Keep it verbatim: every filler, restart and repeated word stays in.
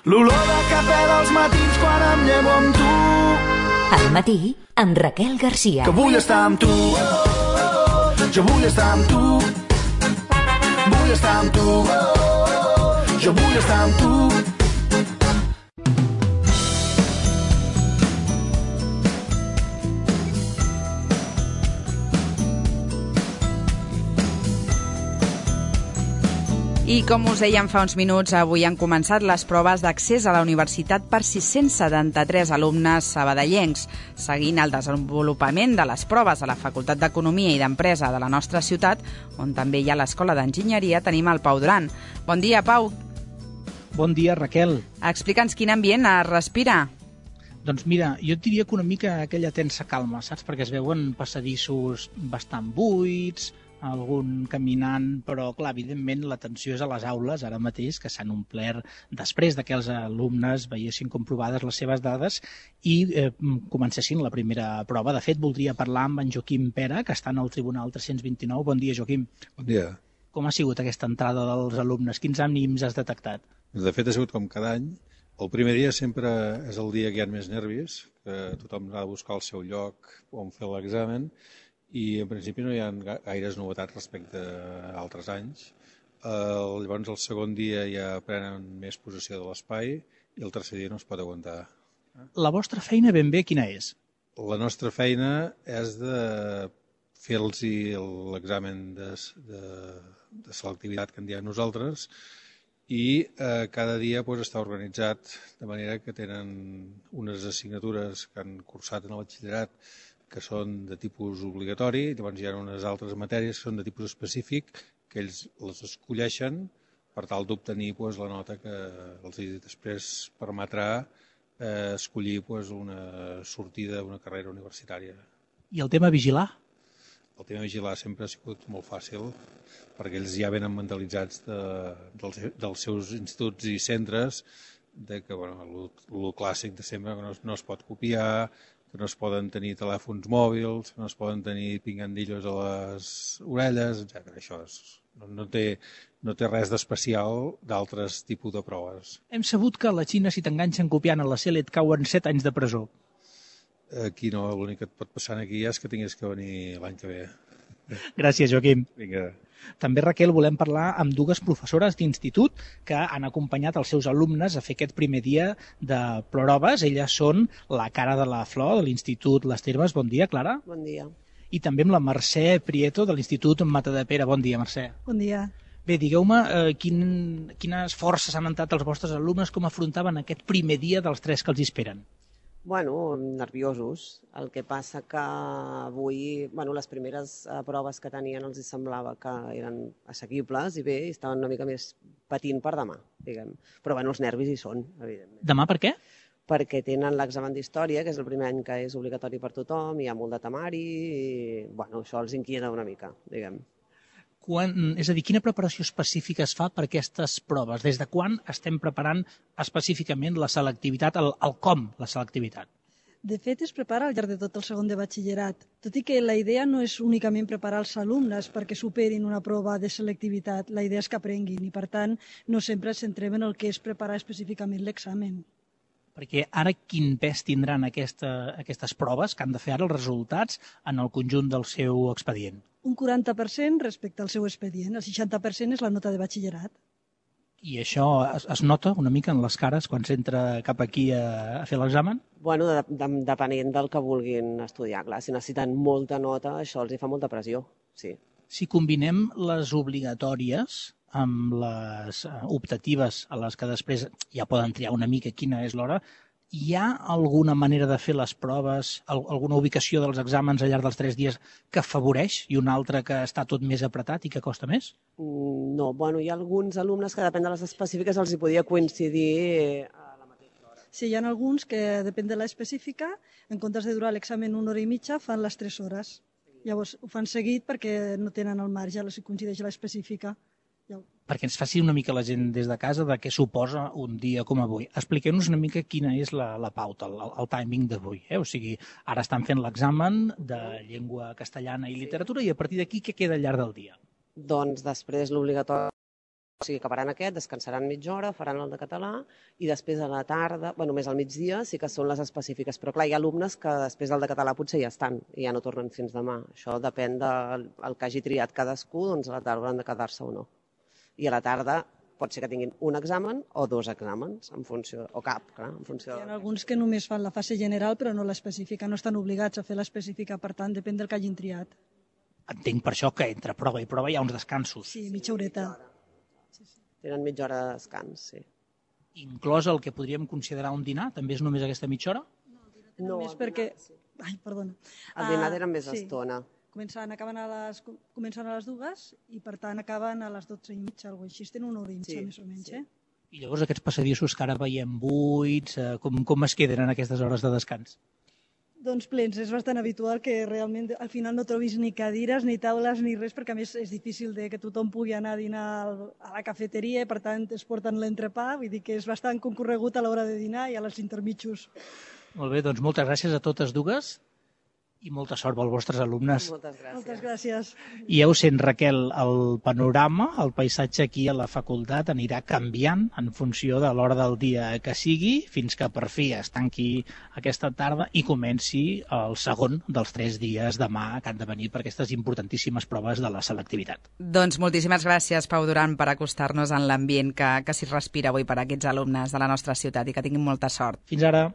l'olor de cafè dels matins quan em llevo amb tu. Al matí, amb Raquel Garcia. Que vull estar amb tu, jo vull estar amb tu, vull estar amb tu, jo vull estar amb tu. I com us dèiem fa uns minuts, avui han començat les proves d'accés a la universitat per sis-cents setanta-tres alumnes sabadellencs, seguint el desenvolupament de les proves a la Facultat d'Economia i d'Empresa de la nostra ciutat, on també hi ha l'Escola d'Enginyeria, tenim el Pau Duran. Bon dia, Pau. Bon dia, Raquel. Explica'ns quin ambient es respira. Doncs mira, jo et diria que una mica aquella tensa calma, saps? Perquè es veuen passadissos bastant buits, algun caminant, però clar, evidentment la tensió és a les aules ara mateix, que s'han omplert després de que els alumnes veiessin comprovades les seves dades i eh, comencessin la primera prova. De fet, voldria parlar amb en Joaquim Pera, que està en el Tribunal tres-cents vint-i-nou. Bon dia, Joaquim. Bon dia. Com ha sigut aquesta entrada dels alumnes? Quins ànims has detectat? De fet, ha sigut com cada any. El primer dia sempre és el dia que hi ha més nervis, que tothom ha de buscar el seu lloc on fer l'examen, i en principi no hi ha gaires novetats respecte a altres anys. Uh, llavors el segon dia ja prenen més possessió de l'espai i el tercer dia no es pot aguantar. La vostra feina ben bé quina és? La nostra feina és de fer-los l'examen de, de, de selectivitat que en diem nosaltres i eh, cada dia pues, està organitzat de manera que tenen unes assignatures que han cursat en el batxillerat que són de tipus obligatori, i llavors hi ha unes altres matèries que són de tipus específic, que ells les escolleixen per tal d'obtenir pues, la nota que els després permetrà eh, escollir pues, una sortida, una carrera universitària. I el tema vigilar? El tema vigilar sempre ha sigut molt fàcil, perquè ells ja venen mentalitzats de, dels, dels seus instituts i centres, de que bueno, el clàssic de sempre, que no, no es pot copiar, que no es poden tenir telèfons mòbils, que no es poden tenir pingandillos a les orelles, etcètera. Això és, no, no, té, no té res d'especial d'altres tipus de proves. Hem sabut que a la Xina, si t'enganxen copiant a la C E L et cauen set anys de presó. Aquí no, l'únic que et pot passar aquí és que tinguis que venir l'any que ve. Gràcies, Joaquim. Vinga. També, Raquel, volem parlar amb dues professores d'institut que han acompanyat els seus alumnes a fer aquest primer dia de proves. Elles són la Cara de la Flor de l'Institut Les Termes. Bon dia, Clara. Bon dia. I també amb la Mercè Prieto de l'Institut Matadepera. Bon dia, Mercè. Bon dia. Bé, digueu-me eh, quin, quines forces han entrat els vostres alumnes, com afrontaven aquest primer dia dels tres que els esperen? Bueno, nerviosos. El que passa que avui, bueno, les primeres eh, proves que tenien els semblava que eren assequibles i bé, i estaven una mica més patint per demà, diguem. Però bueno, els nervis hi són, evidentment. Demà per què? Perquè tenen l'examen d'història, que és el primer any que és obligatori per tothom, hi ha molt de temari i, bueno, això els inquieta una mica, diguem. Quan, és a dir, quina preparació específica es fa per aquestes proves? Des de quan estem preparant específicament la selectivitat, el, el com la selectivitat? De fet, es prepara al llarg de tot el segon de batxillerat, tot i que la idea no és únicament preparar els alumnes perquè superin una prova de selectivitat, la idea és que aprenguin i, per tant, no sempre ens centrem en el que és preparar específicament l'examen. Perquè ara quin pes tindran aquesta, aquestes proves que han de fer ara els resultats en el conjunt del seu expedient? Un quaranta per cent respecte al seu expedient, el seixanta per cent és la nota de batxillerat. I això es, es nota una mica en les cares quan s'entra cap aquí a, a fer l'examen? Bueno, de, de, depenent del que vulguin estudiar, clar, si necessiten molta nota, això els hi fa molta pressió, sí. Si combinem les obligatòries amb les optatives a les que després ja poden triar una mica quina és l'hora, hi ha alguna manera de fer les proves, alguna ubicació dels exàmens al llarg dels tres dies que afavoreix i una altra que està tot més apretat i que costa més? No, bueno, hi ha alguns alumnes que depèn de les específiques els hi podia coincidir a la mateixa hora. Sí, hi ha alguns que depèn de l'específica, en comptes de durar l'examen una hora i mitja, fan les tres hores. Llavors ho fan seguit perquè no tenen el marge, si coincideix l'específica. Perquè ens faci una mica la gent des de casa de què suposa un dia com avui. Expliqueu-nos una mica quina és la, la pauta, el, el timing d'avui. Eh? O sigui, ara estan fent l'examen de llengua castellana i literatura i a partir d'aquí què queda al llarg del dia? Doncs després l'obligatori O sigui, acabaran aquest, descansaran mitja hora, faran el de català i després a la tarda, bueno, més al migdia sí que són les específiques, però clar, hi ha alumnes que després del de català potser ja estan i ja no tornen fins demà. Això depèn del el que hagi triat cadascú, doncs a la tarda hauran de quedar-se o no. I a la tarda pot ser que tinguin un examen o dos exàmens, en funció, o cap, clar, en funció... Hi ha alguns que només fan la fase general però no l'específica, no estan obligats a fer l'específica, per tant, depèn del que hagin triat. Entenc per això que entre prova i prova hi ha uns descansos. Sí, mitja horeta. Tenen mitja hora de descans, sí. Inclòs el que podríem considerar un dinar? També és només aquesta mitja hora? No, Més perquè... Ai, perdona. El dinar era més sí. estona. Comencen, acaben a les, comencen a les dues i per tant acaben a les dotze i mitja, alguna cosa així. Tenen una hora i mitja, Sí, més o menys, sí. eh? I llavors aquests passadissos que ara veiem buits, eh, com, com es queden en aquestes hores de descans? Doncs plens, és bastant habitual que realment al final no trobis ni cadires, ni taules, ni res, perquè a més és difícil de que tothom pugui anar a dinar al- a la cafeteria, per tant es porten l'entrepà, vull dir que és bastant concorregut a l'hora de dinar i a les intermitjos. Molt bé, doncs moltes gràcies a totes dues i molta sort als vostres alumnes. Moltes gràcies. Moltes gràcies. I ja ho sent, Raquel, el panorama, el paisatge aquí a la facultat anirà canviant en funció de l'hora del dia que sigui, fins que per fi es tanqui aquesta tarda i comenci el segon dels tres dies demà que han de venir per aquestes importantíssimes proves de la selectivitat. Doncs moltíssimes gràcies, Pau Duran, per acostar-nos en l'ambient que, que s'hi respira avui per a aquests alumnes de la nostra ciutat i que tinguin molta sort. Fins ara.